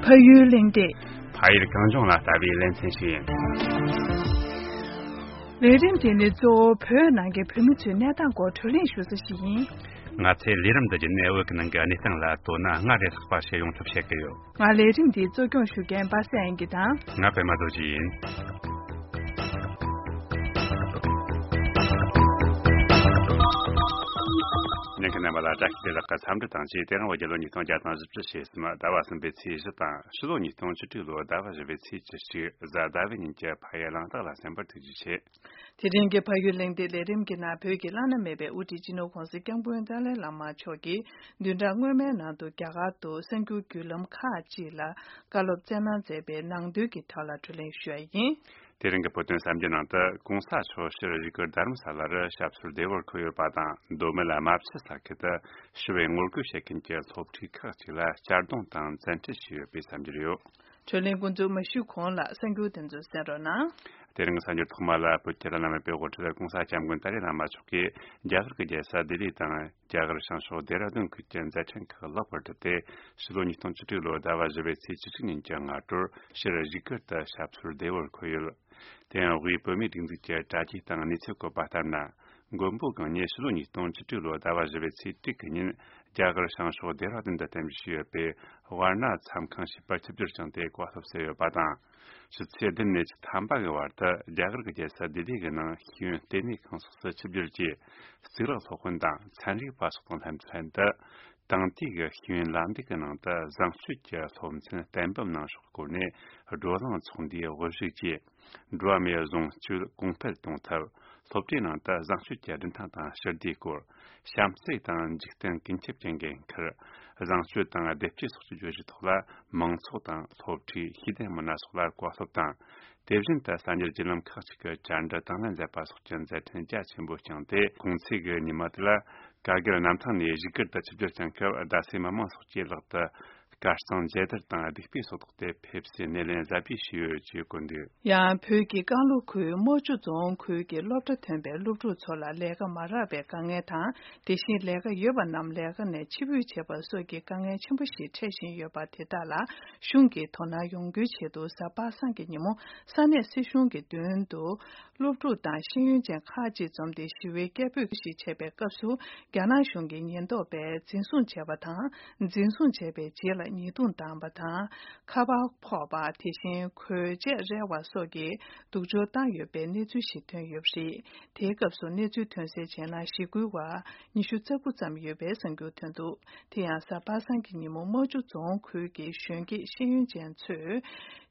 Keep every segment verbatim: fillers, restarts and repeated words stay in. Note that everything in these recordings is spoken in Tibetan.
ཕ་ཡུལ་གླེང་སྟེགས། ཕ་ཡུལ་གངས་ལྗོངས་ལ་ལྟ་བའི་ལེ་ཚན་ཞིག་ཡིན། ལས་རིམ་དེ་ནི་གཙོ་བོ་བོད་ནང་གི་བོད་མི་ཚོའི་གནས་སྟངས་སྐོར་བགྲོ་གླེང་ཞུ་ས་ཞིག་ཡིན། ང་ཚོས་ལས་རིམ་འདི་བརྒྱུད་ནས་བོད་ཀྱི་ནང་གི་གནས་སྟངས་ལ་དོ་སྣང་སྔར་ལས་ལྷག་པ་ཞིག་ཡོང་ཐབས་བྱེད་ཀྱི་ཡོད། ང་ལས་རིམ་འདིའི་གཙོ་སྐྱོང་ཞུ་མཁན་པ་སངས་དབྱངས་སྐྱིད་དང་། ང་པད་མ་རྡོ་རྗེ་ཡིན། ཉན་མཁན་རྣམ་པ་ལ་བཀྲ་ཤིས་བདེ་ལེགས་ཀྱི་འཚམས་འདྲི་དང་བཅས། དེ་རིང་བོད་རྒྱལ་ལོ་ཉིས་སྟོང་བརྒྱ་དང་བཞི་བཅུ་ཞེ་གསུམ་ཟླ་བ་གསུམ་པའི་ཚེས་བཞི་དང་། ཕྱི་ལོ་ཉིས་སྟོང་བཅུ་དྲུག་ལོའི་ཟླ་བ་བཞི་པའི་ཚེས་བཅུ་གཅིག་གཟའ་ཟླ་བའི་ཉིན་གྱི་ཕ་ཡུལ་གླེང་སྟེགས་ལ་གསན་པར་ཐུགས་རྗེ་ཆེ། དེ་རིང་གི་ཕ་ཡུལ་གླེང་སྟེགས་ལས་རིམ་གྱི་ནང་བོད་ཀྱི་བླ་ན་མེད་པའི་དབུ་ཁྲིད་སྤྱི་ནོར་༸གོང་ས་༸སྐྱབས་མགོན་ཏཱ་ལའི་བླ་མ་མཆོག་གིས་བདུན་ཕྲག་སྔོན་མའི་ནང་དུ་རྒྱ་གར་དུ་གསར་འགྱུར་བརྒྱུད་ལམ་ཁག་ཅིག་ལ་བཀའ་སློབ་སྩལ་གནང་མཛད་པའི་ནང་དོན་གྱི་ཐོག་ལ་བགྲོ་གླེང་ཞུ་ཡ་ཡིན། དེ་རིང་གི་བོད་དོན་གསར་འགྱུར་ནང་དུ། གོང་ས་མཆོག་ཕྱིར་བཞུགས་སྒར་དྷ་རམ་ས་ལ་རུ་ཞབས་སོར་བདེ་བར་འཁོད་ཡོད་པ་དང་། མདོ་སྨད་ལ་རྨ་ཆུ་ས་ཁུལ་དུ་ཞི་བའི་ངོ་རྒོལ་བྱེད་མཁན་གྱི་སློབ་ཕྲུག་ཁག་ཅིག་ལ་གཅར་རྡུང་དང་བཙན་ཁྲིད་བྱས་ཡོད་པའི་གསར་འགྱུར་ཡོད། བགྲོ་གླེང་འགོ་འཛུགས་མ་ཞུས་གོང་ལ་གསར་འགྱུར་དེ་ཚོ་གསན་རོགས་གནང་། དེ་རིང་གསར་འགྱུར་ཐོག་མ་ལ། བོད་ཀྱི་བླ་ན་མེད་པའི་དབུ་ཁྲིད་༸གོང་ས་༸སྐྱབས་མགོན་ཏཱ་ལའི་བླ་མ་མཆོག་གིས་རྒྱ་གར་གྱི་རྒྱལ་ས་ལྡི་ལི་དང་རྒྱ་གར་བྱང་ཕྱོགས་ལྡེ་ར་ལྡུན་ཁུལ་གྱི་མཛད་འཕྲིན་ཁག་ལེགས་པར་གྲུབ་སྟེ། ཕྱི་ལོ་ཉིས་སྟོང་བཅུ་དྲུག་ལོའི་ཟླ་བ་བཞི་པའི་ཚེས་བཅུ་གཅིག་ཉིན་གྱི་སྔ་དྲོར་ཕྱིར་བཞུགས་སྒར་དུ་ཞབས་སོར་བདེ་བར་འཁོད་ཡོད། དེ་ཡང་དབུས་བོད་མིའི་སྒྲིག་འཛུགས་ཀྱི་དྲ་རྒྱའི་སྟེང་གནས་ཚུལ་བཀོད་པ་ལྟར་ན། མགོན་པོ་གང་ཉིད་ཕྱི་ལོ་ཉིས་སྟོང་བཅུ་དྲུག་ལོའི་ཟླ་བ་བཞི་པའི་ཚེས་དྲུག་གི་ཉིན། རྒྱ་གར་བྱང་ཕྱོགས་ལྡེ་ར་ལྡུན་དུ་རྟེན་གཞི་བྱས་ཡོད་པའི་ཝཱ་ར་ཎ་མཚམས་ཁང་ཞིག་པར་ཆིབས་བསྒྱུར་བྱུང་སྟེ་བཀའ་སློབ་སྩལ་ཡོད་པ་དང་། ཕྱི་ཚེས་བདུན་ནས་ཚེས་ཐམ་པ་གི་བར་དུ་རྒྱ་གར་གྱི་རྒྱལ་ས་ལྡི་ལི་གི་ནང་ཤེས་ཡོན་ལྟེ་གནས་ཁང་སོགས་སུ་ཆིབས་བསྒྱུར་གྱིས། གཙུག་ལག་སློབ་དཔོན་དང་ཚན་རིག་པ་སོགས་དང་ལྷན་དུ། དེང་དུས་ཀྱི་ཤེས་ཡོན་ལམ་ལུགས་ཀྱི་ནང་དུ་བཟང་སྤྱོད་ཀྱི་སློབ་ཚན་གཏན་འབེབས་གནང་ཕྱོགས་སྐོར་ནས་བགྲོ་གླེང་ཚོགས་འདུའི་དབུ་བཞུགས་ཀྱིས། འགྲོ་བ་མིའི་བཟང་སྤྱོད་གོང་འཕེལ་གཏོང་ཐབས། སློབ་གྲྭའི་ནང་དུ་བཟང་སྤྱོད་ཀྱི་རིན་ཐང་དང་ཞི་བདེའི་སྐོར། བྱམས་བརྩེ་དང་འཇིག་རྟེན་ཀུན་ཁྱབ་ཀྱི་འགན་འཁུར། བཟང་སྤྱོད་དང་བདེ་སྐྱིད་སོགས་ཀྱི་བརྗོད་གཞིའི་ཐོག་ལ། མང་ཚོགས་དང་སློབ་ཕྲུག་ཤེས་ལྡན་མི་སྣ་སོགས་ལ་བཀའ་སློབ་དང་། དེ་བཞིན་དུ་གསར་འགྱུར་བརྒྱུད་ལམ་ཁག་ཅིག་གི་བཅར་འདྲི་དང་ལེན་མཛད་པ་སོགས་ཀྱི་མཛད་འཕྲིན་རྒྱ་ཆེན་པོ་བསྐྱངས་ཏེ། གུང་ཚིགས་ཀྱི་ཉི་མ་དེ་ལ་ཀར་གིལ་གནམ་ཐང་ནས་བཞུགས་སྒར་དུ་ཆིབས་བསྒྱུར་བསྐྱངས་སྐབས། རྡ་སའི་མི་མང་སོགས་ཀྱིས་ལག་ཏུ་དཀར་གཙང་མཇལ་དར་དང་ལྡིག་དཔེ་སོགས་བཏོགས་ཏེ། ཕེབས་བསུའི་སྣེ་ལེན་གཟབ་རྒྱས་བྱས་ཡོད་ཅེས་བཀོད་འདུག། ཡང་བོད་ཀྱི་ཀན་ལྷོ་ཁུལ་རྨོག་ཆུ་རྫོང་ཁུལ་གྱི་སློབ་གྲྭ་ཐོན་པའི་སློབ་ཕྲུག་ཚོ་ལ་ལས་ཀ་མ་རག་པའི་དཀའ་ངལ་དང་། དེ་བཞིན་ལས་ཀ་ཡོད་པ་རྣམས་ལས་ཀ་ནས་ཕྱིར་འབུད་བྱེད་པ་སོགས་ཀྱི་དཀའ་ངལ་ཆེན་པོ་ཞིག་འཕྲད་བཞིན་ཡོད་པ་དེ་དག་ལ། གཞུང་གིས་དོ་སྣང་ཡོང་རྒྱུའི་ཆེད་དུ། གཟའ་པ་སངས་ཀྱི་ཉིན་མོ་ས་གནས་སྲིད་གཞུང་གི་མདུན་དུ། སློབ་ཕྲུག་དང་ཤེས་ཡོན་ཅན་ཁག་ཅིག་འཛོམས་ཏེ་ཞི་བའི་སྐད་འབོད་ཞིག་བྱས་པའི་སྐབས་སུ། རྒྱ་ནག་གཞུང་གི་ཉེན་རྟོག་པས་འཛིན་བཟུང་བྱས་པ་དང་། འཛིན་བཟུང་བྱས་པའི་རྗེས་ལ་ཉེས་རྡུང་བཏང་བ་དང་། ཁ་པར་ཕོག་པ། དེ་བཞིན་གོས་ཆས་བསྲེགས་པ་སོགས་ཀྱི་སྡུག་སྦྱོང་བཏང་ཡོད་པའི་གནས་ཚུལ་ཞིག་ཐོན་ཡོད་པ་རེད། དེའི་སྐབས་སུ་གནས་ཚུལ་ཐོན་གསལ་བྱས་ན། ཞི་རྒོལ་བ་ཉི་ཤུ་རྩ་དགུ་ཙམ་ཡོད་པའི་གསར་འགྱུར་ཐོན་འདུག། དེ་ཡང་གཟའ་པ་སངས་ཀྱི་ཉིན་མོ་རྨོག་ཆུ་རྫོང་ཁུལ་གྱི་གཞོན་སྐྱེས་ཤེས་ཡོན་ཅན་ཚོས།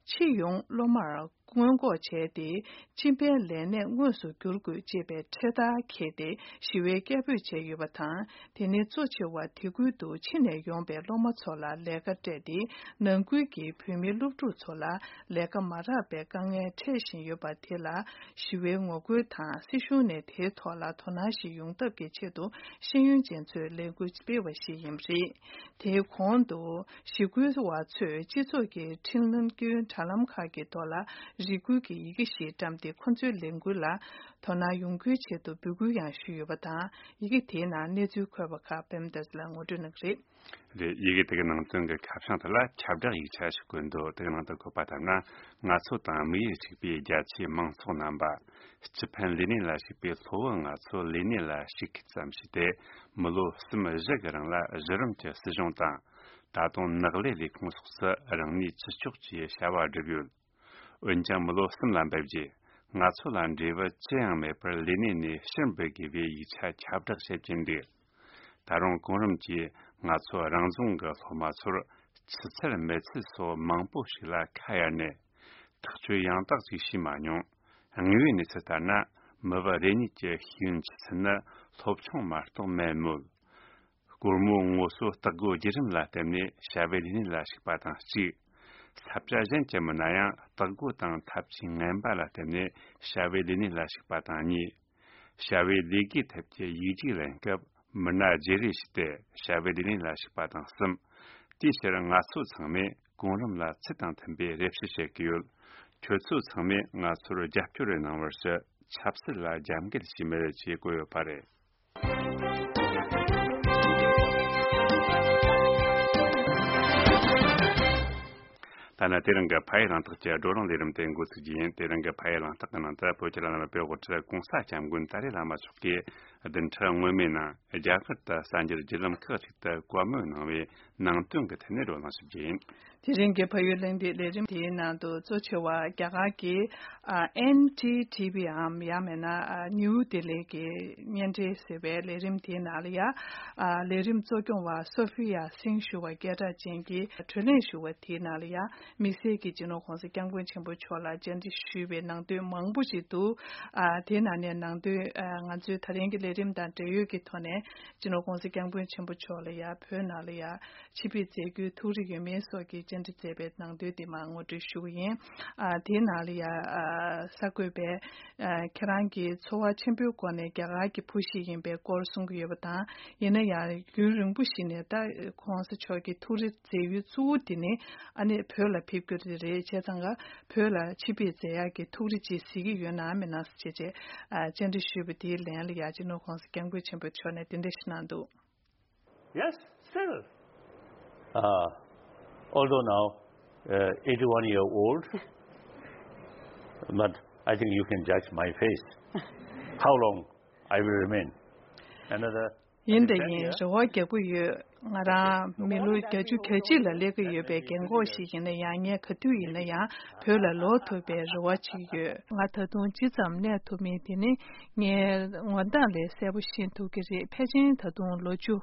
སྤྱི་ཡོངས་སློབ་མར་སྔོན་འགོག་བྱས་ཏེ། སྤྱི་པའི་ལས་གནས་དངོས་སུ་བསྒྱུར་དགོས་ཅེས་པའི་འཕྲེད་དར་འཁྱེར་ཏེ་ཞི་བའི་སྐད་འབོད་བྱས་ཡོད་པ་དང་། དེ་ནས་གཙོ་ཆེ་བ་དེ་ཁུལ་དུ་ཕྱི་ནས་ཡོང་པའི་སློབ་མ་ཚོ་ལ་ལས་ཀ་སྤྲད་དེ། ནང་ཁུལ་གྱི་བོད་མི་སློབ་ཕྲུག་ཚོ་ལ་ལས་ཀ་མ་རག་པའི་དཀའ་ངལ་འཕྲད་བཞིན་ཡོད་པ་དེ་ལ། ཞི་བའི་ངོ་རྒོལ་དང་། སྲིད་གཞུང་ནས་དེའི་ཐོག་ལ་དོ་སྣང་ཞིག་ཡོང་ཐབས་ཀྱི་ཆེད་དུ་ཤེས་ཡོན་ཅན་ཚོས་ལས་འགུལ་སྤེལ་བ་ཞིག་ཡིན་པ་རེད། དེའི་གོང་དུ། ཞི་རྒོལ་བ་ཚོས་སྤྱི་ཚོགས་ཀྱི་འཕྲིན་ལམ་སྐྱོན་དྲ་ལམ་ཁག་གི་ཐོག་ལ་རེ་སྐུལ་གྱི་ཡི་གེ་ཞིག་བཀྲམ་སྟེ། ཁོ་ཚོའི་ལས་འགུལ་ལ་དོ་སྣང་ཡོང་རྒྱུའི་ཆེད་དུ་འབོད་སྐུལ་ཡང་ཞུས་ཡོད་པ་དང་། ཡི་གེ་དེའི་ནང་གནས་ཚུལ་འཁོད་པ་ཁག་པད་མ་བདེ་ལེགས་ལགས་ངོ་སྤྲོད་གནང་གི་རེད། རེད། ཡི་གེ་དེ་གི་ནང་དོན་གྱི་ཁ་བྱང་དེ་ལ་ཁྱབ་བསྒྲགས་ཡིག་ཆ་ཞིག་བཀོད་འདུག། དེ་གི་ནང་དུ་བཀོད་པ་ལྟར་ན། ང་ཚོ་དང་དམིགས་ཡུལ་གཅིག་པའི་རྒྱ་ཆེའི་མང་ཚོགས་རྣམ་པ། སྤྱི་ཕན་ལས་གནས་ལ་ཞུགས་པའི་སློབ་བུ་ང་ཚོ་ལས་གནས་ལ་ཞུགས་མཁན་ཙམ་ཞིག་སྟེ། མི་ལོ་གསུམ་བཞི་གི་རིང་ལ་གཞི་རིམ་གྱི་སྲིད་གཞུང་དང་། ད་དུང་ནགས་ལས་ལས་ཁུངས་སོགས་སུ་རང་ནུས་ཅི་ལྕོགས་ཀྱིས་བྱ་བ་བསྒྲུབས་ཡོད། འོན་ཀྱང་མི་ལོ་གསུམ་ལ་འབབ་རྗེས། ང་ཚོ་ལ་འབྲས་བུ་ཅི་ཡང་མེད་པར་ལས་གནས་ནས་ཕྱིར་འབུད་དགོས་པའི་ཡིག་ཆ་ཁྱབ་བསྒྲགས་བྱེད་ཀྱིན་འདུག། ད་རུང་གོང་རིམ་གྱིས་ང་ཚོ་རང་རྫོང་གི་སློབ་མ་ཚོར་ཆུ་ཚད་མེད་ཚུལ་སོགས་མང་པོ་ཞིག་ལ་ཁ་གཡར་ནས། ཐག་གཅོད་ཡང་དག་ཅིག་བྱས་མ་མྱོང་། དངོས་ཡོད་གནས་ཚུལ་ལྟར་ན། མི་བུ་རེ་གཉིས་ཀྱི་ཤེས་ཡོན་ཆུ་ཚད་ནི་སློབ་ཆུང་མ་གཏོགས་མེད་མོད། སྒོར་མོ་དངོས་སོ་སྟག་སྒོ་བརྒྱུད་རིམ་ལ་བརྟེན་ནས་བྱ་བའི་ལས་གནས་ལ་ཞུགས་པ་དང་གཅིག། ས་ཆ་གཞན་གྱི་མི་སྣ་ཡང་སྟག་སྒོ་དང་ཐབས་ཇུས་ངན་པ་ལ་བརྟེན་ནས་བྱ་བའི་ལས་གནས་ལ་ཞུགས་པ་དང་གཉིས། བྱ་བའི་ལས་ཀའི་ཐད་ཀྱི་ཡིག་རྒྱུགས་ལེན་སྐབས་མི་སྣ་བརྗེ་རེས་བྱས་ཏེ་བྱ་བའི་ལས་གནས་ལ་ཞུགས་པ་དང་གསུམ། དེའི་ཕྱིར་ང་ཚོ་ཚང་མས་གོང་རིམ་ལ་ཚུལ་དང་མཐུན་པའི་རེ་ཞུ་བྱེད་ཀྱི་ཡོད། ཁྱོད་ཚོ་ཚང་མས་ང་ཚོར་རྒྱབ་སྐྱོར་གནང་བར་ཞུ། ཆབ་སྲིད་ལ་རྒྱབ་འགལ་བྱས་མེད་ཅེས་བཀོད་ཡོད་པ་རེད། ཐ་ན་དེ་རིང་གི་ཕ་ཡུལ་གླེང་སྟེགས་ཀྱི་བགྲོ་གླེང་ལས་རིམ་དེ་འགོ་ཚུགས་རྒྱུ་ཡིན། དེ་རིང་གི་ཕ་ཡུལ་གླེང་སྟེགས་ཀྱི་ནང་དུ་བོད་ཀྱི་བླ་ན་མེད་པའི་དབུ་ཁྲིད་༸གོང་ས་༸སྐྱབས་མགོན་ཏཱ་ལའི་བླ་མ་མཆོག་གིས་བདུན་ཕྲག་སྔོན་མའི་ནང་རྒྱ་གར་དུ་གསར་འགྱུར་བརྒྱུད་ལམ་ཁག་ཅིག་ཏུ་བཀའ་མོལ་གནང་བའི་ནང་དོན་གྱི་ཐད་ནས་བགྲོ་གླེང་ཞུ་རྒྱུ་ཡིན། དེ་རིང་གི་ཕ་ཡུལ་གླེང་སྟེགས་ལས་རིམ་དེའི་ནང་དུ་གཙོ་ཆེ་བ་རྒྱ་གར་གྱི་ཨ་ཨེན་ཌི་ཊི་བི་འམ་ཡང་མིན་ན་ཨ་ནིའུ་ལྡི་ལི་གི་བརྙན་འཕྲིན་ཟེར་བའི་ལས་རིམ་དེའི་ནང་ལ་ཡ་ཨ་ལས་རིམ་གཙོ་སྐྱོང་བ་སོ་ཧྥི་ཡ་སིང་ཞུ་བ་སྐད་གྲགས་ཅན་གྱིས་གྲོས་གླེང་ཞུ་བ་དེའི་ནང་ལ་ཡ་དམིགས་བསལ་གྱིས་སྤྱི་ནོར་༸གོང་ས་༸སྐྱབས་མགོན་ཆེན་པོ་མཆོག་ལ་བཅར་འདྲི་ཞུས་པའི་ནང་དོན་མང་པོ་ཞིག་འདུག་ཨ་དེའི་ནང་ནས་ནང་དོན་ཨ་ང་ཚོའི་ད་རིང་གི་ལས་རིམ་དང་འབྲེལ་ཡོད་ཀྱི་ཐོག་ནས་སྤྱི་ནོར་༸གོང་ས་༸སྐྱབས་མགོན་ཆེན་པོ་མཆོག་ལ་ཡ་བོད་ནང་ལ་ཡ་ཆིབས་བསྒྱུར་མཛད་རྒྱུའི་ཐུགས་རེ་ཡོད་མེད་སོགས་ཀྱི་བཅར་འདྲི་མཛད་པའི་ནང་དོན་དེ་མར་ངོ་སྤྲོད་ཞུ་གི་ཡིན། ཨ་དེའི་ནང་ལ་ཡ་ཨ་གསར་འགོད་པས་ཨ་ཁྱེད་རང་གིས་འཚོ་བ་ཆེན་པོའི་སྒོ་ནས་རྒྱ་གར་གྱི་བུ་ཞིག་ཡིན་པའི་སྐོར་གསུང་གི་ཡོད་པ་དང་། ཡིན་ན་ཡང་རྒྱུན་རིང་པོ་ཞིག་ནས་ད་༸གོང་ས་མཆོག་གི་ཐུགས་རེ་མཛད་ཡུལ་གཙོ་བོ་དེ་ནི་ཨ་ནི་བོད་ལ་ཕེབས་རྒྱུ་དེ་རེད། བྱས་ཙང་ཀ་བོད་ལ་ཆིབས་བསྒྱུར་མཛད་ཡག་གི་ཐུགས་རེ་ཅིག་གཟིགས་ཀྱི་ཡོད་ན་མེད་ན་ཟེར་བྱས་བྱས་ཨ་བཅར་འདྲི་ཞུས་པ་དེའི་ལན་ལ་ཡ་སྤྱི་ནོར་༸གོང་ས་༸སྐྱབས་མགོན་ཆེན་པོ་མཆོག་ནས་དེ་འདྲ་ཞིག་གནང་འདུག Yes, still. Uh, although now uh, eighty-one year old, but I think you can judge my face. How long I will remain? Another ཡིན་ད་ཡིན་རེ་བ་རྒྱག་གི་ཡོད། ང་རང་མི་ལོ་བརྒྱད་ཅུ་གྱ་གཅིག་ལ་སླེབས་ཀྱི་ཡོད་པའི་རྒན་གོག་ཞིག་ཡིན་ན་ཡང་། ངས་ག་དུས་ཡིན་ན་ཡང་བོད་ལ་ལོག་ཐུབ་པའི་རེ་བ་བྱེད་ཀྱི་ཡོད། ང་ད་དུང་ཇི་ཙམ་གནས་ཐུབ་མིན་དེ་ནི་ངའི་ངོ་མདངས་ལས་གསལ་པོ་ཤེས་ཐུབ་ཀྱི་རེད། ཕལ་ཆེར་ད་དུང་ལོ་བཅུ་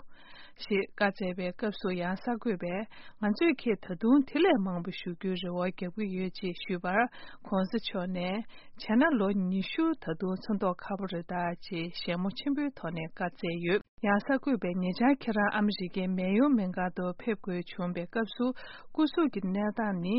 ཞིག་བཀའ་སྩལ་བའི་སྐབས་སུ་ཡང་གསར་འགོད་པས་ང་ཚོས་ཁྱེད་ད་དུང་དེ་ལས་མང་པོ་བཞུགས་རྒྱུའི་རེ་བ་རྒྱག་གི་ཡོད་ཅེས་ཞུས་པར། ༸གོང་ས་མཆོག་ནས་བྱས་ན་ལོ་ཉི་ཤུ་ད་དུང་འཚོ་མདོག་ཁ་པོ་རེད་ད་ཅེས་ཞལ་མོ་ཆེན་པོའི་ཐོག་ནས་བཀའ་སྩལ་ཡོད། ཡང་གསར་འགོད་པས་ཉེ་ཆར་ཁྱེད་རང་ཨ་མི་རི་ཀའི་མེ་ཡོ་མེ་མཁར་དུ་ཕེབས་དགོས་བྱུང་བའི་སྐབས་སུ་སྐུ་གཟུགས་ཀྱི་གནས་སྟངས་ནི་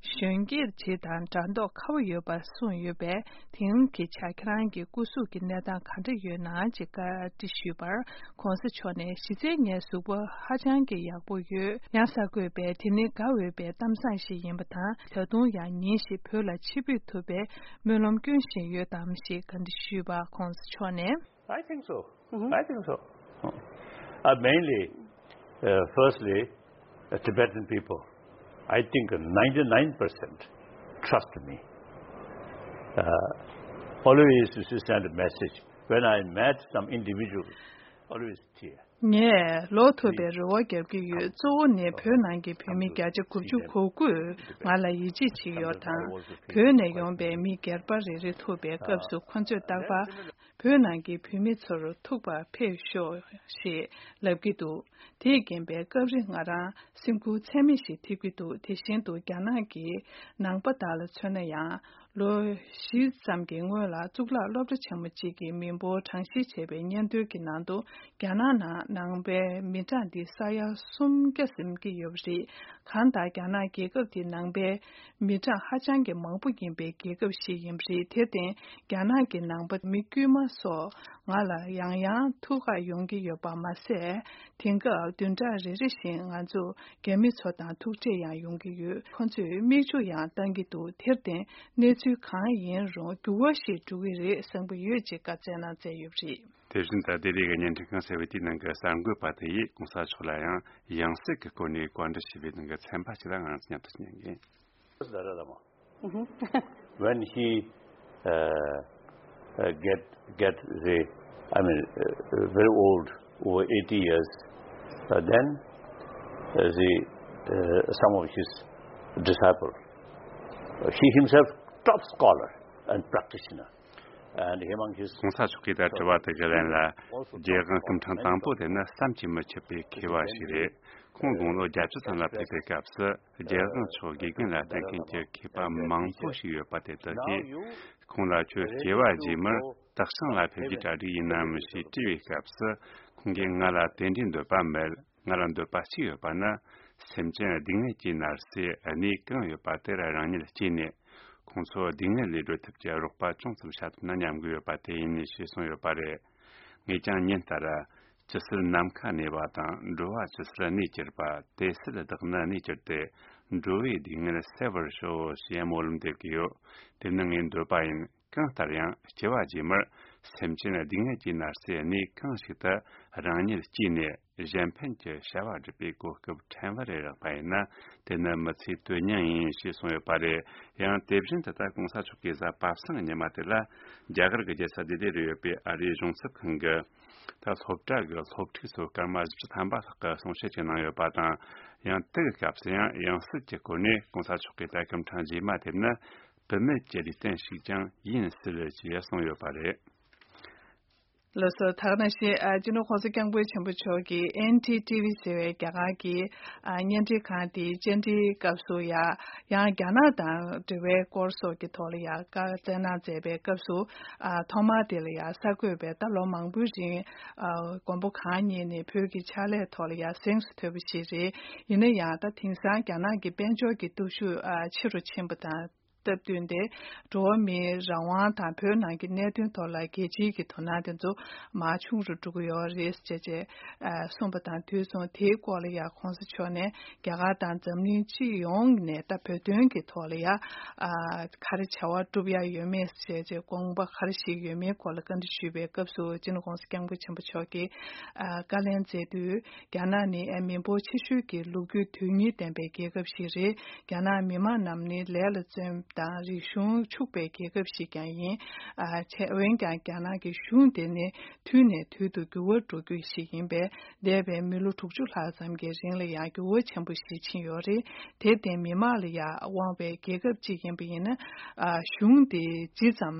གཞོན་སྐྱེས་ཇི་དང་འདྲ་མདོག་ཁ་པོ་ཡོད་པ་གསུངས་ཡོད་པས། དེང་གི་ཆ་ཁྱེད་རང་གི་སྐུ་གཟུགས་ཀྱི་གནས་སྟངས་ག་འདྲ་ཡོད་ན་ཅེས་བཀའ་འདྲི་ཞུས་པར། ༸གོང་ས་མཆོག་ནས་གཞི་རྩའི་ངའི་གཟུགས་པོ་ཧ་ཅང་གི་ཡག་པོ་ཡོད། ཡང་གསར་འགོད་པས་དེ་ནི་དགའ་འོས་པའི་གཏམ་བཟང་ཞིག་ཡིན་པ་དང་། ད་དུང་ཡང་ཉིན་ཞིག་བོད་ལ་ཆིབས་བསྒྱུར་ཐུབ་པའི་སྨོན་ལམ་སྐྱོན་བཞིན་ཡོད་དམ་ཞེས་བཀའ་འདྲི་ཞུས་པར། ༸གོང་ས་མཆོག་ནས། I think so. I think so. Uh, mainly, uh, firstly, uh, Tibetan people. I think ninety-nine percent trust me. Uh, always used to send a message. When I met some individuals, always tear. ངས་ལོག་ཐུབ་པའི་རེ་བ་རྒྱབ་ཀྱི་ཡོད། གཙོ་བོ་ནི་བོད་ནང་གི་བོད་མི་བརྒྱ་ཆ་དགུ་བཅུ་གོ་དགུས་ང་ལ་ཡིད་ཆེས་བྱེད་ཡོད་དང་། བོད་ནས་ཡོང་པའི་མི་སྒེར་པ་རེ་རེ་ཐུག་པའི་སྐབས་སུ་ཁོ་ཚོས་རྟག་པར་བོད་ནང་གི་བོད་མི་ཚོར་ཐུག་པར་ཕེབས་ཤོག་ཞེས་ལབ་ཀྱི་འདུག་དེས་རྐྱེན་པས་སྐབས་རེ་ང་རང་སེམས་འགུལ་ཚད་མེད་ཞིག་ཐེབས་ཀྱི་འདུག་དེ་བཞིན་དུ་རྒྱ་ནག་གི་ནང་པ་དག་ལ་མཚོན་ན་ཡང་། ལོ་བཞི་ཙམ་གྱི་སྔོན་ལ་གཙུག་ལག་སློབ་གྲྭ་ཆེན་མོ་གཅིག་གི་མི་འབོར་གྲངས་བཤེར་བྱས་པའི་སྙན་ཐོའི་ནང་དུ། རྒྱ་ནག་ནང་ནང་པའི་མི་གྲངས་འདི་ས་ཡ་སུམ་བརྒྱ་ཟིན་གྱི་ཡོད་པ་རེད། གང་ལྟར་རྒྱ་ནག་རྒྱལ་ཁབ་འདི་ནང་པའི་མི་གྲངས་ཧ་ཅང་གི་མང་པོ་ཡིན་པའི་རྒྱལ་ཁབ་ཞིག་ཡིན་པ་རེད། དེར་བརྟེན། རྒྱ་ནག་གི་ནང་པ་མི་དཀྱུས་མ་སོགས་ང་ལ་ཡང་ཡང་ཐུག་གར་ཡོང་གི་ཡོད་པ་མ་ཟད། དེང་སྐབས་བདུན་ཕྲག་རེ་རེ་བཞིན་ང་ཚོ་རྒྱ་མི་ཚོ་དང་ཐུག་འཕྲད་ཡང་ཡོང་གི་ཡོད། ཁོ་ཚོས་མིག་ཆུ་ཡང་བཏང་གི་འདུག་དེར་བརྟེན། གནས་ཚུལ་གང་ཡིན་རུང་འགྱུར་བ་ཞིག་འགྲོ་གི་རེད་བསམ་གྱི་ཡོད་ཅེས་བཀའ་སྩལ་གནང་མཛད་ཡོད་པ་རེད། དེ་བཞིན་དུ་ལྡི་ལི་གི་བརྙན་འཕྲིན་ཁང་ཟེར་བའི་དེའི་ནང་གི་གསར་འགོད་པ་དེ་ཡིས་གོང་ས་མཆོག་ལ་ཡང་ཡང་སྲིད་ཀྱི་སྒོ་ནས་བཀའ་འདྲི་ཞུས་པའི་ནང་གི་ཚན་པ་ཞིག་ལ་ང་རང་ཚོ་མཉམ་དུ་ཉན་གྱིན། Dalai Lama. When he uh, uh, get get the, I mean, uh, very old, over eighty years, uh, then uh, the uh, some of his disciple, uh, he himself top scholar and practitioner, and among his གོང་ས་མཆོག་གིས་ད་དྲི་བ་དེ་གའི་ལན་ལ། རྒྱལ་དབང་སྐུ་ཕྲེང་དང་པོ་དེ་ནི་བསམ་གྱིས་མི་ཁྱབ་པའི་མཁས་པ་ཞིག་རེད། ཁོང་དགུང་ལོ་བརྒྱད་ཅུ་ཙམ་ལ་ཕེབས་པའི་སྐབས་སུ། རྒྱལ་དབང་མཆོག་དགེ་རྒན་ལ་བསྟེན་མཁན་གྱི་མཁས་པ་མང་པོ་ཞིག་ཡོད་པ་དེ་དག་གིས། ཁོང་ལ་ཁྱོད་སྐྱེ་བ་རྗེས་མར་སྟག་ཤང་ལ་ཕེབས་རྒྱུའི་གྲ་སྒྲིག་ཡིན་ནམ་ཞེས་དྲིས་པའི་སྐབས་སུ། ཁོང་གིས་ང་ལ་དེ་འདྲའི་འདོད་པ་མེད། ང་ལ་འདོད་པ་གཅིག་ཡོད་པ་ནི། སེམས་ཅན་སྡུག་བསྔལ་གྱིས་མནར་སའི་གནས་གང་ཡོད་པ་དེར་རང་ཉིད་སྐྱེས་ནས། ཁོང་ཚོ་སྡུག་བསྔལ་ལས་སྒྲོལ་ཐབས་ཀྱི་རོགས་པ་ཅུང་ཙམ་བྱ་ཐུབ་ན་སྙམ་གྱི་ཡོད་པ་དེ་ཡིན་ཞེས་གསུངས་ཡོད་པ་རེད། ངས་ཀྱང་ཉིན་ལྟར། ཇི་སྲིད་ནམ་མཁའ་གནས་པ་དང་། འགྲོ་བ་ཇི་སྲིད་གནས་གྱུར་པ། དེ་སྲིད་བདག་ནི་གནས་གྱུར་ཏེ། འགྲོ་བའི་སྡུག་བསྔལ་སེལ་བར་ཤོག་ཞེས་སྨོན་ལམ་འདེབས་ཀྱི་ཡོད། དེ་ནི་ངའི་འདོད་པ་ཡིན། གང་ལྟར་ཡང་སྐྱེ་བ་རྗེས་མར་སེམས་ཅན་སྡུག་བསྔལ་གྱིས་མནར་སའི་གནས་གང་ཞིག་ཏུ་རང་ཉིད་སྐྱེས་ནས། གཞན་ཕན་གྱི་བྱ་བ་སྒྲུབ་པའི་གོ་སྐབས་ཕྲན་བུ་རེ་རག་པ་ཡིན་ན། དེ་ནི་མི་ཚེའི་དོན་སྙིང་ཡིན་ཞེས་གསུངས་ཡོད་པ་རེད། ཡང་དེ་བཞིན་དུ་ད་གོང་ས་མཆོག་གིས་གཟའ་པ་སངས་ཉི་མ་དེ་ལ་རྒྱ་གར་གྱི་རྒྱལ་ས་ལྡི་ལི་རུ་ཡོད་པའི་ཨ་རིའི་གཞུང་ཚབ་ཁང་གི་ད་སློབ་གྲྭ་གི་སློབ་ཕྲུག་ཚོ་སྐར་མ་བཞི་བཅུ་ཐམ་པ་ལྷག་གི་གསུང་བཤད་ཅིག་གནང་ཡོད་པ་དང་། ཡང་དེ་གི་སྐབས་སུ་ཡང་ཡང་སྲིད་ཀྱི་སྐོར་ནས་གོང་ས་མཆོག་གིས་ད་སྐུ་ཕྲེང་རྗེས་མ་དེབ་ནི་སྐུད་མེད་ཀྱི་ལུས་རྟེན་ཞིག་ཀྱང་ཡིན་སྲིད་ཅེས་གསུངས་ཡོད་པ་རེད། ལགས་སོ། ད་ག་ནང་བཞིན་ཨ་སྤྱི་ནོར་༸གོང་ས་༸སྐྱབས་མགོན་ཆེན་པོ་མཆོག་གིས་ཨེན་ཌི་ཊི་ཝི་ཟེར་བའི་རྒྱ་གར་གྱི་ཨ་བརྙན་འཕྲིན་ཁང་དེའི་བཅར་འདྲིའི་སྐབས་སུ་ཡང་ཡང་རྒྱ་ནག་དང་འབྲེལ་བའི་སྐོར་སོགས་ཀྱི་ཐོག་ལ་ཡང་བཀའ་སྩལ་གནང་མཛད་པའི་སྐབས་སུ། ཨ་ཐོག་མར་དེ་ལ་ཡང་གསར་འགོད་པས་ད་ལོ་མང་པོའི་རིང་ཨ་མགོན་པོ་གང་ཉིད་ནས་བོད་ཀྱི་ཕྱག་ལས་ཐོག་ལ་ཡང་གཟེངས་སུ་ཐོན་པ་ཞིག་རེད། ཡིན་ན་ཡང་ད་དེང་སང་རྒྱ་ནག་གི་དཔལ་འབྱོར་གྱི་སྟོབས་ཤུགས་ཨ་ཆེ་རུ་ཕྱིན་པ་དང་། སྟབས་བསྟུན་ཏེ། འགྲོ་བ་མིའི་རང་དབང་དང་བོད་ནང་གི་གནད་དོན་ཐོག་ལ་རྒྱལ་སྤྱིའི་གི་དོ་སྣང་དེ་ཚོ་མར་ཆུང་རུ་འགྲོ་གི་ཡོད་རེད་ཅེས་ཅེས་ཨ་གསུངས་པ་དང་དུས་མཚུངས་དེའི་སྐོར་ལ་ཡང་གོང་ས་མཆོག་ནས་རྒྱ་གར་དང་འཛམ་གླིང་སྤྱི་ཡོངས་ནས་ད་བོད་དོན་གྱི་ཐོག་ལ་ཡང་ཨ་ག་རེ་བྱ་བ་སྒྲུབ་ཡ་ཡོད་མེད་ཅེས་ཅེས་དགོངས་པ་ག་རེ་ཞིག་ཡོད་མེད་སྐོར་ལ་བཀའ་འདྲི་ཞུས་པའི་སྐབས་སུ་སྤྱི་ནོར་༸གོང་ས་༸སྐྱབས་མགོན་ཆེན་པོ་མཆོག་གིས་ཨ་བཀའ་ལན་མཛད་དུས། རྒྱ་ནག་ནི་ཨ་མི་འབོར་ཆེ་ཤོས་ཀྱི་ལོ་རྒྱུས་དོན་གཉིས་ལྡན་པའི་རྒྱལ་ཁབ་ཞིག་རེད། རྒྱ་ནག་མི་དམངས་རྣམས་ནི་ལས་ལ་བརྩོན་དང་རིག་གཞུང་ཕྱུག་པའི་རྒྱལ་ཁབ་ཞིག་ཀྱང་ཡིན། ཨ་ཆེ་འོན་ཀྱང་རྒྱ་ནག་གི་གཞུང་དེ་ནི་དུས་ནས་དུས་སུ་འགྱུར་བ་འགྲོ་རྒྱུ་ཞིག་ཡིན་པས། འདས་པའི་མི་ལོ་དྲུག་ཅུ་ལྷག་ཙམ་གྱི་རིང་ལ་ཡང་འགྱུར་བ་ཆེན་པོ་ཞིག་ཕྱིན་ཡོད་རེད། དེར་བརྟེན་མི་དམངས་ལ་ཡང་དབང་བའི་རྒྱལ་ཁབ་ཅིག་ཡིན་པ་ཡིན་ན། ཨ་གཞུང་དེ་ཇི་ཙམ་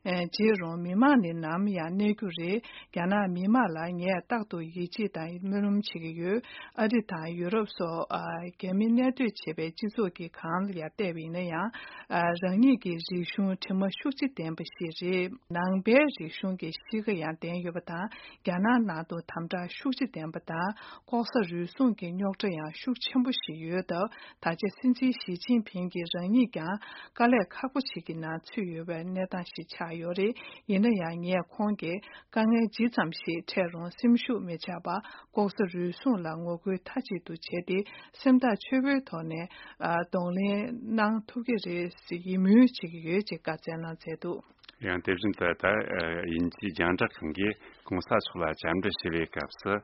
ཨ་བརྗེད་རུང་མི་དམངས་ནི་ནམ་ཡང་གནས་རྒྱུ་རེད། རྒྱ་ནག་མི་དམངས་ལ་ངས་རྟག་ཏུ་ཡིད་ཆེས་དང་སྨོན་ལམ་བྱེད་ཀྱི་ཡོད། ཨ་རི་དང་ཡུ་རོབ་སོགས་ཨ་རྒྱ་མི་གནས་སྡོད་བྱེད་པའི་སྤྱི་ཚོགས་ཀྱི་སྒང་ལ་ཡང་བལྟས་པ་ཡིན་ན་ཡང་། ཨ་རང་ཉིད་ཀྱི་རིག་གཞུང་དྲི་མ་ཤུགས་ཆེ་ལྡན་པ་ཞིག་རེད། ནང་པའི་རིག་གཞུང་གི་གཤིས་ཀ་ཡང་ལྡན་ཡོད་པ་དང་། རྒྱ་ནག་ནང་དུ་དམ་དྲག་ཤུགས་ཆེ་ལྡན་པ་དང་། ལྐོག་ཟ་རུལ་སུངས་ཀྱི་རྙོག་དྲ་ཡང་ཤུགས་ཆེན་པོ་ཞིག་ཡོད་སྟབས། ད་ཆ་སྲིད་འཛིན་ཞི་ཅིན་ཕིང་གིས་རང་ཉིད་ཀྱང་དཀའ་ལས་ཁག་པོ་ཞིག་གི་ནང་ཚུད་ཡོད་པའི་གནས་སྟངས་ཤིག་ཆགས་ཡོད་རེད། ཡིན་ན་ཡང་ངས་ཁོང་གིས་དཀའ་ངལ་ཇི་ཙམ་ཞིག་འཕྲད་རུང་སེམས་ཤུགས་མི་ཆག་པར་ལྐོག་ཟ་རུལ་སུངས་ལ་ངོ་རྒོལ་མཐའ་གཅིག་ཏུ་བྱས་ཏེ། སེམས་ཐག་ཆོད་པོའི་ཐོག་ནས་ཨ་གདོང་ལེན་གནང་ཐུབ་ཀྱི་རེད་ཟེར་ཡིད་སྨོན་བྱེད་ཀྱི་ཡོད་ཅེས་བཀའ་སྩལ་གནང་མཛད་འདུག། ཡང་དེ་བཞིན་དུ་ད་ཨ་དབྱིན་ཇིའི་རྒྱང་བསྒྲགས་ཁང་གིས་གོང་ས་མཆོག་ལ་བཅར་འདྲི་ཞུ་བའི་སྐབས་སུ།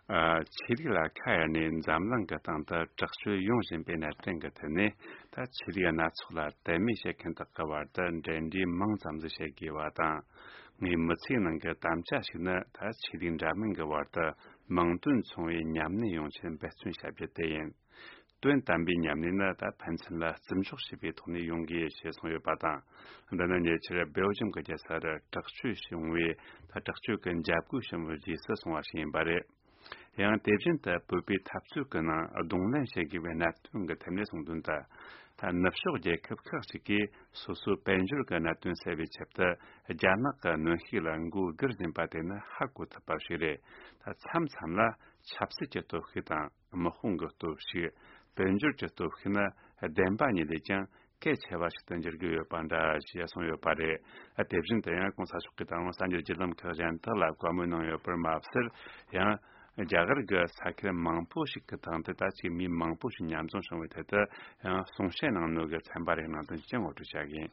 ཨ་ཆོས་ལུགས་ལ་ཁ་གཡར་ནས་འཛམ་གླིང་གི་སྟེང་དུ་དྲག་སྤྱོད་ཡོང་བཞིན་པའི་གནད་དོན་གྱི་ཐད་ནས། ད་ཆོས་ལུགས་སྣ་ཚོགས་ལ་དད་མོས་བྱེད་མཁན་དག་གི་བར་དུ་འབྲེལ་འདྲིས་མང་ཙམ་ཞིག་བྱེད་དགོས་པ་དང་། ངའི་མི་ཚེའི་ནང་གི་དམ་བཅའ་ཞིག་ནི། ད་ཆོས་ལུགས་འདྲ་མིན་གྱི་བར་དུ་མིང་དོན་མཚུངས་པའི་མཉམ་གནས་ཡོང་ཆེད་འབད་བརྩོན་བྱ་རྒྱུ་དེ་ཡིན། དོན་དམ་པའི་མཉམ་གནས་ནི་ད་ཕན་ཚུན་ལ་བརྩི་འཇོག་བྱེད་པའི་ཐོག་ནས་ཡོང་དགོས་ཞེས་གསུངས་ཡོད་པ་དང་། འདི་ནི་ཉེ་ཆར་སྦེལ་ཇམ་གྱི་རྒྱལ་ས་རུ་དྲག་སྤྱོད་བྱུང་བའི། ད་དྲག་སྤྱོད་ཀྱི་འཇབ་རྒོལ་བྱུང་བའི་རྗེས་སུ་སོང་བ་ཞིག་ཡིན་པ་རེད། ཡང་དེ་བཞིན་དུ་བོད་པའི་འཐབ་རྩོད་ཀྱི་ནང་གདོང་ལེན་བྱེད་དགོས་པའི་གནད་དོན་གྱི་ཐད་ནས་གསུངས་དོན་ལྟར། ད་ནུབ་ཕྱོགས་རྒྱལ་ཁབ་ཁག་ཅིག་གིས་སོ་སོའི་དཔལ་འབྱོར་གྱི་གནད་དོན་སེལ་བའི་ཆེད་དུ། རྒྱ་ནག་གི་གནོན་ཤུགས་ལ་མགོ་སྒུར་བཞིན་པ་དེ་ནི་ཧ་གོ་ཐུབ་པ་ཞིག་རེད། ད་མཚམས་མཚམས་ལ་ཆབ་སྲིད་ཀྱི་སྟོབས་ཤུགས་དང་དམག་དཔུང་གི་སྟོབས་ཤུགས། དཔལ་འབྱོར་གྱི་སྟོབས་ཤུགས་ནི་བདེན་པ་ཉིད་ལས་ཀྱང་གལ་ཆེ་བ་ཞིག་ཏུ་འགྱུར་གྱི་ཡོད་པ་འདྲ་ཞེས་གསུངས་ཡོད་པ་རེད། དེ་བཞིན་དུ་ཡང་གོང་ས་མཆོག་གིས་ད་རུང་གསར་འགྱུར་བརྒྱུད་ལམ་ཁག་གཞན་དག་ལ་བཀའ་མོལ་གནང་ཡོད་པར་མ་ཟད། ཡང་རྒྱ་གར་གྱི་ས་ཁུལ་མང་པོ་ཞིག་གི་སྟེང་དུ་ད་ཅིག་མི་མང་པོ་ཞིག་མཉམ་འཛོམས་བྱུང་བའི་ཐད་དུ་ཡང་གསུང་བཤད་གནང་ནོ་གི་ཚན་པ་རེ་གནང་དོན་ཅིག་ངོ་སྤྲོད་བྱ་གི་ཡིན།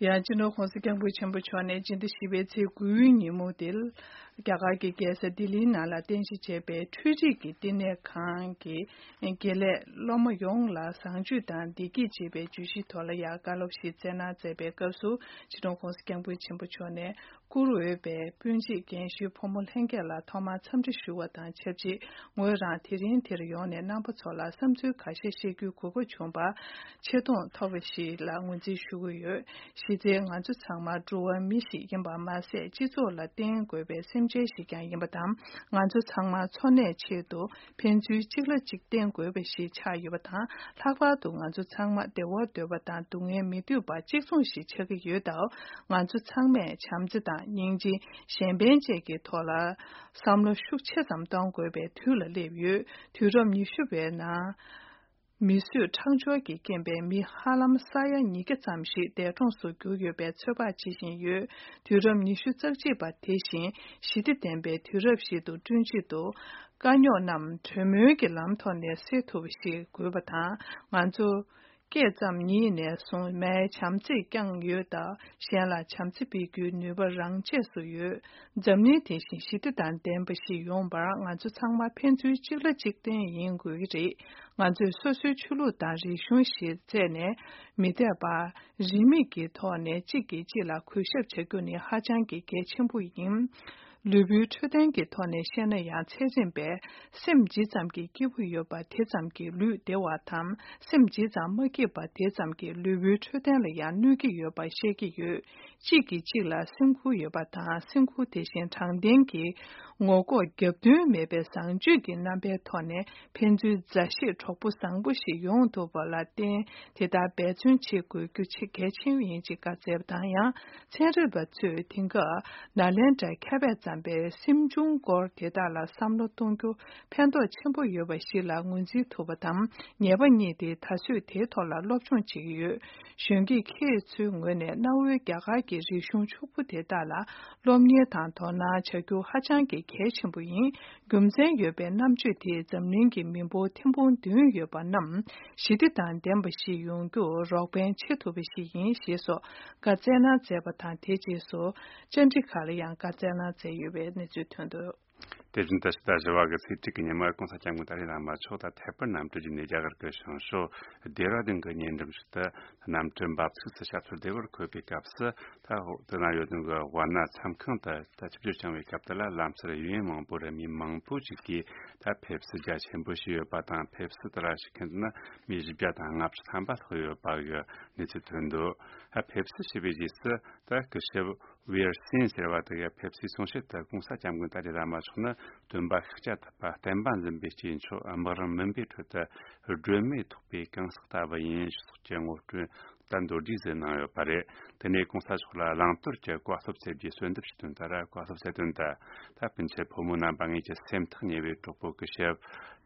ཡང་སྤྱི་ནོར་གོང་ས་སྐྱབས་མགོན་ཆེན་པོ་མཆོག་ནས་སྤྱི་ཟླ་བཞི་པའི་ཚེས་དགུའི་ཉིན་མོ་དེར། རྒྱ་གར་གྱི་རྒྱལ་ས་ལྡི་ལིའི་ནང་ལ་རྟེན་གཞི་བྱས་པའི་འཕྲུལ་རིག་གི་བསྟི་གནས་ཁང་གི་དགེ་ལས་སློབ་མ་ཡོངས་ལ་བཟང་སྤྱོད་དང་བདེ་སྐྱིད་ཅེས་པའི་བརྗོད་གཞིའི་ཐོག་ལ་ཡང་བཀའ་སློབ་ཞིག་སྩལ་གནང་མཛད་པའི་སྐབས་སུ། སྤྱི་ནོར་གོང་ས་སྐྱབས་མགོན་ཆེན་པོ་མཆོག་ནས། བཀུར་འོས་པའི་སྤུན་མཆེད་རྒན་གཞོན་ཕོ་མོ་ལྷན་རྒྱས་ལ་ཐོག་མར་འཚམས་འདྲི་ཞུ་བ་དང་ཆབས་ཅིག་ངོས་རང་དེ་རིང་འདིར་ཡོང་ནས་རྣམ་པ་ཚོ་ལ་བསམ་ཚུལ་ཁ་ཤས་བཤད་རྒྱུའི་གོ་སྐབས་བྱུང་བར་ཆེ་མཐོང་ཐོབ་པ་ཞིག་ལ་ངོས་འཛིན་ཞུ་གི་ཡོད། གཞི་རྩའི་ང་ཚོ་ཚང་མ་འགྲོ་བ་མི་ཞིག་ཡིན་པ་མ་ཟད། སྤྱི་ཚོགས་ལ་བརྟེན་དགོས་པའི་སེམས་ཅན་ཞིག་ཀྱང་ཡིན་པ་དང་། ང་ཚོ་ཚང་མ་འཚོ་གནས་ཆེད་དུ་ཕན་ཚུན་གཅིག་ལ་གཅིག་བརྟེན་དགོས་པ་ཞིག་ཆགས་ཡོད་པ་དང་། ལྷག་པར་དུ་ང་ཚོ་ཚང་མ་བདེ་བ་འདོད་པ་དང་སྡུག་བསྔལ་མི་འདོད་པ་གཅིག་མཚུངས་ཤིག་ཆགས་ཀྱི་ཡོད་སྟབས། ང་ཚོ་ཚང་མས་བྱམས་བརྩེ་དང་སྙིང་རྗེ། གཞན་ཕན་བཅས་ཀྱི་ཐོག་ལ་བསམ་བློ་ཤུགས་ཆེ་ཙམ་གཏོང་དགོས་པའི་དུས་ལ་སླེབས་ཡོད། དུས་རབས་ཉི་ཤུ་པའི་ནང་། མི་གསོད་ཁྲག་སྦྱོར་གྱི་རྐྱེན་པས་མི་ཧ་ལམ་ས་ཡ་ཉིས་བརྒྱ་ཙམ་ཞིག་འདས་གྲོངས་སུ་གྱུར་ཡོད་པའི་ཚོད་དཔག་བྱེད་བཞིན་ཡོད། དུས་རབས་ཉི་ཤུ་རྩ་གཅིག་པ་དེ་བཞིན་ཞི་བདེ་ལྡན་པའི་དུས་རབས་ཤིག་ཏུ་བསྐྲུན་ཆེད་དུ། དཀའ་རྙོག་རྣམས་གྲོས་མོལ་གྱི་ལམ་ཐོག་ནས་སེལ་ཐུབ་པ་ཞིག་དགོས་པ་དང་། ང་ཚོ། སྐད་ཙམ་ཉིད་ནས་བཟུང་མའི་བྱམས་བརྩེས་བསྐྱངས་ཡོད་སྟབས། གཞན་ལ་བྱམས་བརྩེ་སྤེལ་རྒྱུའི་ནུས་པ་རང་ཆས་སུ་ཡོད། འཛམ་གླིང་དེ་བཞིན་ཞི་བདེ་དང་ལྡན་པ་ཞིག་ཡོང་བར་ང་ཚོ་ཚང་མ་ཕན་ཚུན་གཅིག་ལ་གཅིག་བརྟེན་ཡིན་དགོས་ཀྱི་རེད། ང་ཚོས་སོ་སོའི་ཆོས་ལུགས་དང་རིག་གཞུང་ཞེས་བརྩད་ནས་མི་འཐད་པར། རིས་མེད་ཀྱི་ཐོག་ནས་གཅིག་གིས་གཅིག་ལ་གུས་ཞབས་བྱ་རྒྱུ་ནི་ཧ་ཅང་གི་གལ་ཆེན་པོ་ཡིན། ལུས་པོའི་འཕྲོད་བསྟེན་གྱི་ཐོག་ནས་བཤད་ན་ཡང་། ཚད་རིམ་པས་སེམས་ཇི་ཙམ་གྱིས་སྐྱིད་པོ་ཡོད་པ་དེ་ཙམ་གྱིས་ལུས་བདེ་བ་དང་། སེམས་ཇི་ཙམ་མ་སྐྱིད་པ་དེ་ཙམ་གྱིས་ལུས་པོའི་འཕྲོད་བསྟེན་ལ་ཡང་གནོད་ཀྱི་ཡོད་པ་བཤད་ཀྱི་ཡོད། གཅིག་གིས་གཅིག་ལ་སེམས་ཁུར་ཡོད་པ་དང་། སེམས་ཁུར་དེ་བཞིན་དྲང་བདེན་གྱི་ངོ་ལྐོག་རྒྱབ་མདུན་མེད་པའི་བཟང་སྤྱོད་ཀྱི་རྣམ་པའི་ཐོག་ནས་ཕན་ཚུན་མཛའ་བཤེས་གྲོགས་པོ་བཟང་པོ་ཞིག་ཡོང་ཐུབ་པ་ལ་བརྟེན། དེ་ལྟར་འབད་བརྩོན་བྱེད་དགོས་རྒྱུ་ཆེས་གལ་ཆེན་ཡིན་ཅེས་བཀའ་སྩལ་བ་དང་། ཡང་ཚན་རིག་པ་ཚོས་དེང་སྐབས་ནཱ་ལེནྡྲའི་མཁས་པས་བརྩམས་པའི་སེམས་བྱུང་སྐོར་དེ་དག་ལ་བསམ་བློ་གཏོང་རྒྱུ་ཕན་ཐོགས་ཆེན་པོ་ཡོད་པ་ཞིག་ལ་ངོས་འཛིན་ཐུབ་པ་དང་། ཉེས་པ་གཉིས་ཏེ་ད་གཟོད་དེའི་ཐོག་ལ་སློབ་སྦྱོང་བྱེད་ཀྱི་ཡོད། གཞོན་སྐྱེས་ཁྱེད་ཚོའི་ངོས་ནས་གནའ་བོའི་རྒྱ་གར་གྱི་རིག་གཞུང་ཕྱུག་པོ་དེ་དག་ལ་སློབ་གཉེར་དང་དོ་སྣང་བྱ་རྒྱུ་ཧ་ཅང་གི་གལ་ཆེན་པོ་ཡིན། རྒྱུ་མཚན་ཡོད་པའི་རྣམ་དཔྱོད་དེས་འཛམ་གླིང་གི་མི་འབོར་ཐེར་འབུམ་བདུན་ཡོད་པ་རྣམས་ཞི་བདེ་དང་ལྡན་པ་ཞིག་ཡོང་རྒྱུར་རོགས་ཕན་བྱེད་ཐུབ་པ་ཞིག་ཡིན་ཞེས་སོགས་བཀའ་སྩལ་གནང་མཛད་པ་དང་། དེ་རྗེས་སུ་བཅར་འདྲི་ཁག་ལ་ཡང་བཀའ་སྩལ་གནང་མཛད་ཡོད་པའི་གནས་ཚུལ་ཐོན་འདུག། དེ་བཞིན་དུ་ཕྱི་ཟླ་བཞི་པ་གི་ཚེས་དྲུག་གི་ཉིན་མོར་༸གོང་ས་༸སྐྱབས་མགོན་ཏཱ་ལའི་བླ་མ་མཆོག་དང་ཐད་པར་གནམ་གྲུ་བརྒྱུད་ནས་རྒྱ་གར་གྱི་བྱང་ཕྱོགས་ལྡེ་ར་ལྡུན་གྱི་ཉེ་འགྲམ་ཞིག་ཏུ་གནམ་གྲུ་འབབ་ཚུགས་སུ་ཞབས་སོར་བདེ་བར་འཁོད་པའི་སྐབས་སུ། ད་འོག་ཏུ་ན་ཡོད་དོན་གྱི་ཝཱ་ཎ་མཚམས་ཁང་དུ་ད་ཆིབས་བསྒྱུར་བྱུང་བའི་སྐབས་དེ་ལ་ལམ་སར་ཡུལ་མི་མང་པོ་རེད། མི་མང་པོ་ཞིག་གིས་ད་ཕེབས་བསུ་རྒྱ་ཆེན་པོ་ཞིག་ཡོད་པ་དང་། ཕེབས་བསུ་དེ་ལ་ཞུགས་མཁན་དེ་ནི་མི་བཞི་བརྒྱ་དང་ལྔ་བཅུ་ཐམ་པ་ལྷག་ཡོད་པ་གི་གནས་ཚུལ་ཐོན་འདུག། ད་ཕེབས་བསུ་ཞུས་པའི་རྗེས་སུ་ད་སྐུ་ཞབས་ཝེར་སིན་ཟེར་བ་དེ་གིས་ཕེབས་བསུའི་གསུང་བཤད་དུ་༸གོང་ས་༸སྐྱབས་མགོན་ཏཱ་ལའི་བླ་མ་མཆོག་ནི་སྟོན་པ་ཤཱཀྱ་ཐུབ་པ་བསྟན་པ་འཛིན་པའི་སྐྱེས་མཆོག་དམག་རང་མུན་པའི་ཁྲོད་དུ་སྒྲོན་མེ་ཐོགས་པའི་གང་ཟག་ལྟ་བུ་ཡིན་ཞེས་སོགས་ཀྱི་ངོ་སྤྲོད་ད་མདོར་བསྡུས་སུ་གནང་ཡོད་པ་རེད། དེ་ནས་༸གོང་ས་མཆོག་ལ་བླང་དོར་གྱི་བཀའ་སློབ་སྩལ་རྒྱུའི་གསོལ་འདེབས་ཤིག་བཏོན། ད་ར་བཀའ་སློབ་སྩལ་དོན་དུ། ད་སྤུན་མཆེད་ཕོ་མོ་རྣམ་པ། ངེད་ཀྱི་སེམས་ཐག་ཉེ་བའི་གྲོགས་པོ་སྐུ་ཞབས་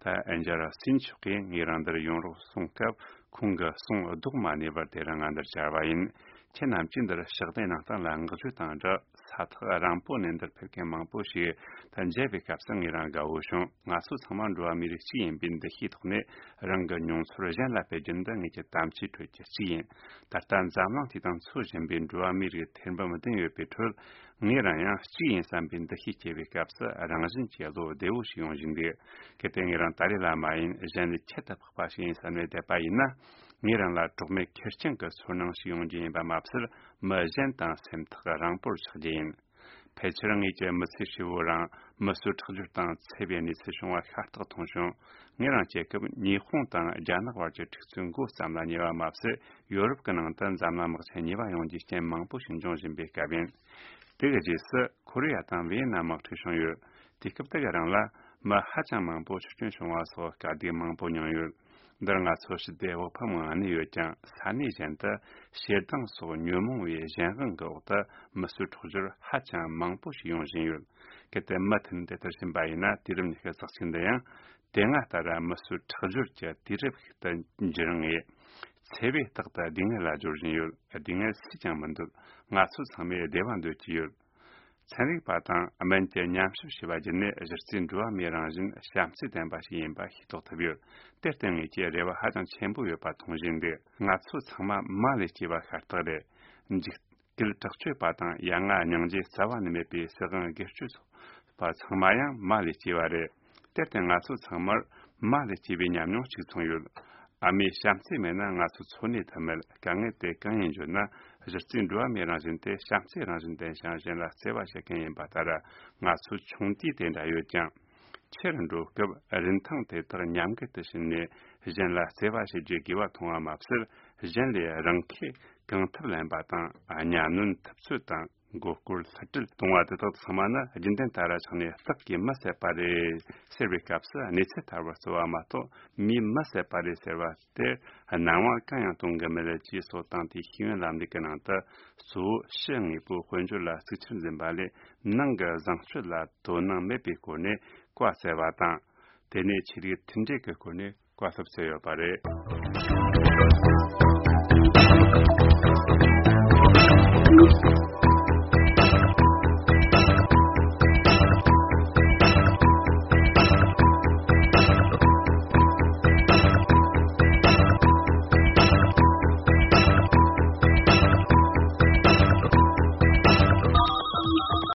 ད་ཨན་ཇ་ར་སིན་མཆོག་གིས་ངེད་རང་འདིར་ཡོང་རོགས་གསུངས་སྐབས། ཁོང་གི་གསུང་ལྡོག་མ་ནུས་པར་དེ་རིང་ང་འདིར་བཅར་བ་ཡིན། ཁྱེད་རྣམས་ཀྱིས་འདིར་ཕྱག་དེབ་ནང་སྟེང་ལ་བསྔགས་བརྗོད་དང་སྦྲགས་ས་ཐག་རིང་པོ་ནས་འདིར་ཕེབས་མཁན་མང་པོ་ཞིག་ད་མཇལ་བའི་སྐབས་སུ་ངེད་རང་དགའ་བོ་བྱུང་། ང་ཚོ་ཚང་མ་འགྲོ་བ་མིའི་རིགས་གཅིག་ཡིན་པའི་འདུ་ཤེས་ཐོག་ནས་རང་གི་མྱོང་ཚོར་གཞན་ལ་སྤེལ་རྒྱུ་འདི་ངེད་ཀྱི་དམ་བཅའི་ཁྲོད་ཀྱི་གཅིག་ཡིན། ད་ལྟ་འཛམ་གླིང་དེ་དང་འཚོ་བཞིན་པའི་འགྲོ་བ་མིའི་རིགས་ཐེར་འབུམ་བདུན་ཡོད་པའི་ཁྲོད། ངེད་རང་ཡང་གཅིག་ཡིན་བསམ་པའི་འདུ་ཤེས་སྐྱེ་བའི་སྐབས་སུ་རང་བཞིན་གྱིས་བློ་བདེ་བོ་ཞིག་ཡོང་བཞིན་འདུག། གལ་ཏེ་ངེད་རང་ཏཱ་ལའི་བླ་མ་ཡིན། གཞན་ལས་ཁྱད་དུ་འཕགས་པ་ཞིག་ཡིན་བསམ་ནས་བསྡད་པ་ཡིན་ན། ངེད་རང་ལ་གྲོགས་མེད་ཁེར་རྐྱང་གི་ཚོར་སྣང་ཞིག་ཡོང་རྒྱུ་ཡིན་པ་མ་ཟད། མི་གཞན་དང་སེམས་ཐག་རིང་པོར་ཆགས་རྒྱུ་ཡིན། ཕལ་ཆེར་ངེད་ཀྱི་མི་ཚེ་ཧྲིལ་བོ་རང་མི་གསོད་ཁྲག་སྦྱོར་དང་འཚེ་བའི་གནས་ཚུལ་བྱུང་བ་ཤ་སྟག་མཐོང་བྱུང་། ངེད་རང་སྐྱེ་སྐབས་ཉི་ཧོང་དང་རྒྱ་ནག་བར་གྱི་འཁྲུག་རྩོད་མགོ་བརྩམས་ལ་ཉེ་བ་མ་ཟད། ཡོ་རོབ་ཀྱི་ནང་དུ་འཛམ་གླིང་དམག་ཆེན་གཉིས་པ་ཡོང་རྒྱུའི་རྐྱེན་མང་པོ་ཞིག་འབྱུང་བཞིན་པའི་སྐབས་ཡིན། དེ་གི་རྗེས་སུ་ཁོ་རེ་ཡ་དང་ཝེ་ཡེ་ནམ་དམག་འཁྲུག་བྱུང་ཡོད། དུས་སྐབས་དེ་གི་རིང་ལ་མི་ཧ་ཅང་མང་པོ་འཆི་སྐྱོན་བྱུང་བ་སོགས་དཀའ་སྡུག་མང་པོ་མྱོང་ཡོད། འདིར་ང་ཚོ་ཞི་བདེ་བག་ཕེབས་ངང་གནས་ཡོད་ཀྱང་། ས་གནས་གཞན་དུ་ཞེ་སྡང་སོགས་ཉོན་མོངས་པའི་གཞན་དབང་གི་འོག་ཏུ་མི་གསོད་ཁྲག་སྦྱོར་ཧ་ཅང་མང་པོ་ཞིག་ཡོང་བཞིན་ཡོད། གལ་ཏེ་མུ་མཐུད་དེ་ལྟར་ཕྱིན་པ་ཡིན་ན། དུས་རབས་ཉི་ཤུ་རྩ་གཅིག་འདི་ཡང་དེ་སྔ་ལྟར་མི་གསོད་ཁྲག་སྦྱོར་གྱི་དུས་རབས་ཤིག་ཏུ་འགྱུར་ངེས། འཚེ་བས་རྟག་ཏུ་སྡུག་བསྔལ་ལ་སྦྱོར་བཞིན་ཡོད། སྡུག་བསྔལ་སུས་ཀྱང་མི་འདོད། ང་ཚོ་ཚང་མས་བདེ་བ་འདོད་ཀྱི་ཡོད། ཚན་རིག་པ་དང་སྨན་གྱིས་ཉམས་ཞིབ་བྱས་པ་བརྒྱུད་ནས། གཞི་རྩའི་འགྲོ་བ་མིའི་རང་བཞིན་བྱམས་བརྩེ་ལྡན་པ་ཞིག་ཡིན་པ་ཤེས་རྟོགས་ཐུབ་ཡོད། དེར་བརྟེན་ངེད་ཀྱིས་རེ་བ་ཧ་ཅང་ཆེན་པོ་ཡོད་པ་མཐོང་བཞིན་འདུག། ང་ཚོ་ཚང་མ་མ་ལས་སྐྱེས་པ་ཤ་སྟག་རེད། འཇིགས་སྐུལ་དྲག་སྤྱོད་པ་དང་ཡ་ང་སྙིང་རྗེ་རྩ་བ་ནས་མེད་པའི་སྲིད་དབང་སྒེར་གཅོད་ཚོགས་པ་ཚང་མ་ཡང་མ་ལས་སྐྱེས་པ་རེད། དེར་བརྟེན་ང་ཚོ་ཚང་མར་མ་ལས་སྐྱེས་པའི་ཉམས་མྱོང་གཅིག་མཚུངས་ཡོད། ཨ་མའི་བྱམས་བརྩེ་མེད་ན་ང་ཚོ་འཚོ་གནས་ཐུབ་མེད། དཀའ་ངལ་དེ་གང་ཡིན་བརྗོད་ན། གཞི་རྩའི་འགྲོ་བ་མིའི་རང་བཞིན་དེ་བྱམས་བརྩེའི་རང་བཞིན་ལྡན་ཞིང་། གཞན་ལ་བརྩེ་བ་བྱེད་མཁན་ཡིན་པ་ལྟར། ང་ཚོ་ཆུང་དུས་དེ་འདྲ་ཡོད་ཀྱང་། ཆེར་འགྲོ་སྐབས་རིན་ཐང་དེ་དག་ཉམས་རྒུད་དུ་ཕྱིན་ནས། གཞན་ལ་བརྩེ་བ་བྱེད་རྒྱུའི་དགོས་པ་མཐོང་བ་མ་ཟད། གཞན་ལས་རང་ཁེ་གང་ཐུབ་ལེན་པ་དང་། གཉའ་གནོན་ཐུབ་ཚོད་དང་མགོ་སྐོར་ལྷུ་སྤྲད་གཏོང་བ་དེ་དག་ཚང་མ་ནི་རྒྱུན་ལྡན་ལྟར་ཆགས་ནས། སྟག་གིས་མི་བསད་པ་རེད་ཟེར་བའི་སྐབས་སུ། གནས་ཚུལ་ཐར་བར་རྩོལ་བ་མ་གཏོགས་མིས་མི་བསད་པ་རེད་ཟེར་བ་དེར་སྣང་བ་གང་ཡང་གཏོང་གི་མེད་ཅེས་སོགས་དང་། དེའི་ཤེས་ཡོན་ལམ་ལུགས་ཀྱི་ནང་དུ། གཙོ་བོ་ཕྱི་དངོས་པོའི་དཔལ་འབྱོར་ལ་གཙིགས་ཆེར་འཛིན་པ་ལས། ནང་གི་བཟང་སྤྱོད་ལ་དོ་སྣང་མེད་པའི་སྐོར་ནས་བཀའ་སྩལ་བ་དང་། དེ་ནས་ཆོས་ལུགས་མཐུན་འབྲེལ་གྱི་སྐོར་ནས་བཀའ་སློབ་སྩལ་ཡོད་པ་རེད།